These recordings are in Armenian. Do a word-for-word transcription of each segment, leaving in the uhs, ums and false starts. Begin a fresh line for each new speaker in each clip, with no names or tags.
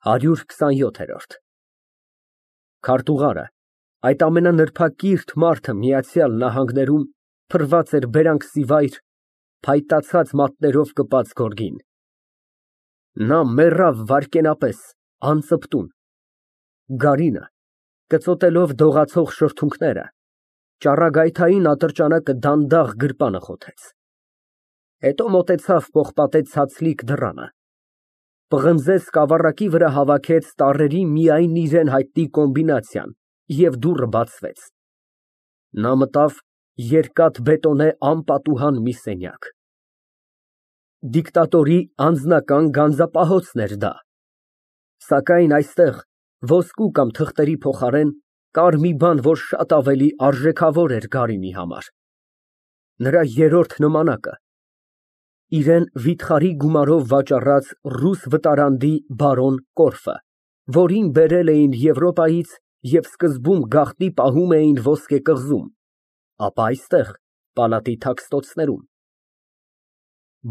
հարյուր քսաներորդ Քարտուղարը, այդ ամենանրբակիրթ մարդը Միացյալ Նահանգներում, փռված էր բերանքսիվայր, փայտացած մատներով կպած գորգին։ Նա մեռավ վայրկենապես, անծպտուն։ Գարինը, կծոտելով դողացող շրթունքները, ճառագայթային ատրճանակը դանդաղ գրպանը խոթեց։ Հետո մոտեցավ պողպատե ցածլիկ դռանը, պղնձե սկավառակի վրա հավաքեց տառերի միայն իրան հայտնի կոմբինացիան և դուռը բացվեց։ Նա մտավ երկաթբետոնե անպատուհան մի սենյակ։ Դիկտատորի անձնական գանձապահոցն էր դա, սակայն այստեղ ոսկու կամ թղթերի փոխարեն կար մի բան, որ շատ ավելի արժեքավոր էր Գարինի համար, նրա երրորդ նմանակը, իրան վիթխարի գումարով վաճառած ռուս վտարանդի բարոն Կորֆը, որին բերել էին Եվրոպայից և սկզբում գաղտնի պահում էին ոսկե կղզում, ապա այստեղ, պալատի թաքստոցներում։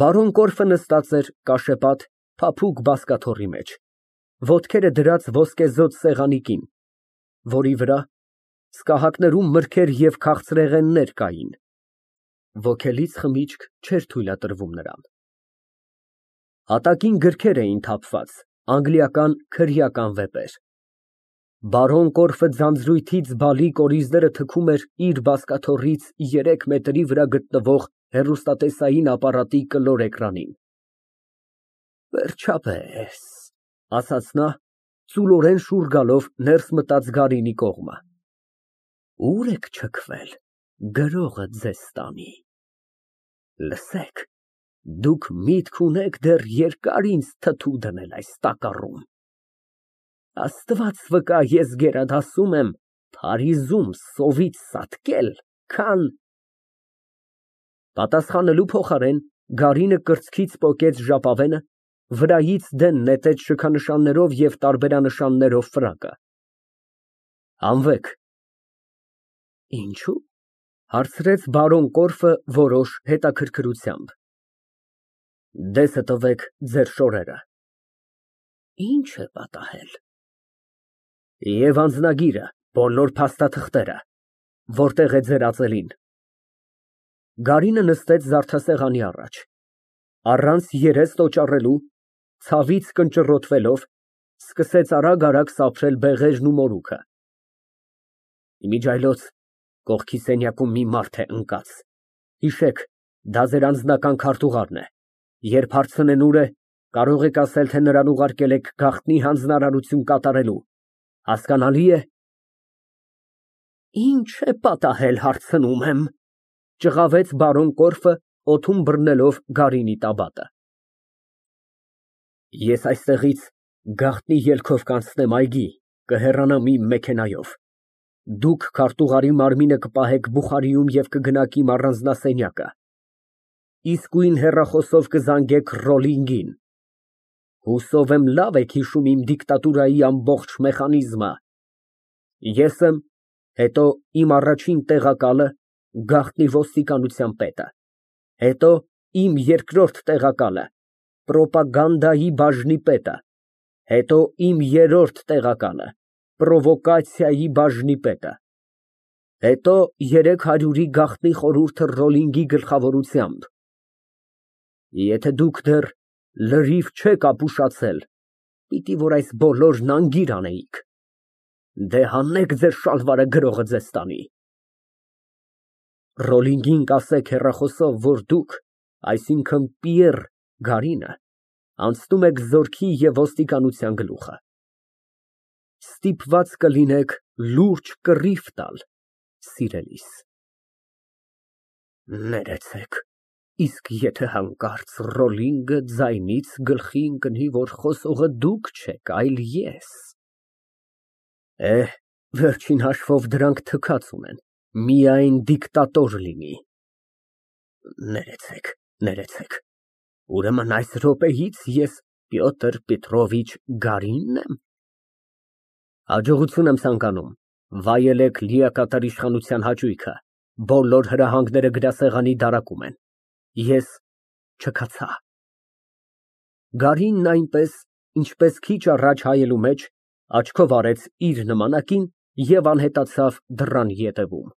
Բարոն Կորֆը նստած էր կաշեպատ, փափուկ բազկաթոռի մեջ, ոտքերը դրած ոսկեզօծ սեղանի կին, որի վրա սկահակներում մրգեր և քաղցրեղեններ կային, ոգելից խմիչք չէր թույլատրվում նրան։ Հատակին գրքեր էին թափված, անգլիական քրեական վեպեր։ Բարոն Կորֆը ձանձրույթից բալի կորիզները թքում էր իր բազկաթոռից երեք մետրի վրա գտնվող հեռուստատեսային ապարատի կլոր էկրանին։ Վերջապես, ասաց նա, ծուլորեն շուռ գալով ներս մտած Գարինի կողմը, ուր եք չքվել, գրողը ձեզ տանի։ Լսեք, դուք միտք ունեք դեռ երկար ինձ թթու դնել այս տակառում։ Աստված վկա, ես գերադասում եմ Փարիզում սովից սատկել, քան… Պատասխանելու փոխարեն Գարինը կրծքից պոկեց ժապավենը, վրայից դեն նետեց շքանշաններով և տարբերանշաններով ֆրակը։ Հանվեք։ Ինչո՞ւ, հարցրեց բարոն Կորֆը որոշ հետաքրքրությամբ։ Դեսը տվեք ձեր շորերը։ Ի՞նչ է պատահել։ Եվ անձնագիրը, բոլոր փաստաթղթերը, որտե՞ղ է ձեր ածելին։ Գարինը նստեց զարդասեղանի առաջ, առանց երես տոճառելու, ցավից կնճռոտվելով, սկսեց արագ֊արագ սափրել բեղերն ու մորուքը։ Իմիջիայլոց կողքի սենյակում մի մարդ է ընկած, հիշեք, դա ձեր անձնական քարտուղարն է, երբ հարցնեն ուր է, կարող եք ասել, թե նրան ուղարկել եք գաղտնի հանձնարարություն կատարելու, հասկանալի է։ Ինչ է պատահել, հարցնում եմ, ճղավեց բարոն Կորֆը, օդում բռնելով Գարինի տաբատը։ Ես այստեղից գաղտնի ելքով կանցնեմ այգի, կհեռանամ իմ մեքենայով, դուք քարտուղարի մարմինը կպահեք բուխարիում և կգնաք իմ առանձնասենյակը, իսկույն հեռախոսով կզանգեք Ռոլլինգին, հուսով եմ լավ եք հիշում իմ դիկտատուրայի ամբողջ մեխանիզմը, ես եմ, հետո իմ առաջին տեղակալը, գաղտնի ոստիկանության պետը, հետո իմ երկրորդ տեղակալը, պրոպագանդայի բաժնի պետը, հետո իմ երրորդ տեղակալը, պրովոկացիայի բաժնի պետը, հետո երեք հարյուրի գաղտնի խորհուրդը Ռոլլինգի գլխավորությամբ։ Եթե դուք դեռ լրիվ չեք ապուշացել, պիտի որ այս բոլորն անգիր անեիք։ Դե հանեք ձեր շալվարը, գրողը ձեզ տանի։ Ռոլլինգին կասեք հեռախոսով, որ դուք, այսինքն Պիեռ Գարինը, անցնում եք զորքի և ոստիկանության գլուխը։ Ստիպված կլինեք լուրջ կռիվ տալ, սիրելիս։ Ներեցեք, իսկ եթե հանկարծ Ռոլլինգը ձայնից գլխի ընկնի, որ խոսողը դուք չեք, այլ ես… Էհ, վերջին հաշվով դրանք թքած ունեն, միայն դիկտատոր լինի։ Ներեցեք, ներեցեք, ուրեմն այս րոպեից ես Պյոտր Պետրովիչ Գարինն եմ։ Հաջողություն եմ ցանկանում, վայելեք լիակատար իշխանության հաճույքը, բոլոր հրահանգները գրասեղանի դարակում են, ես չքացա։ Գարինն այնպես Ինչպես քիչ առաջ հայելու մեջ, աչքով արեց իր նմանակին և անհետացավ դռան ետևում։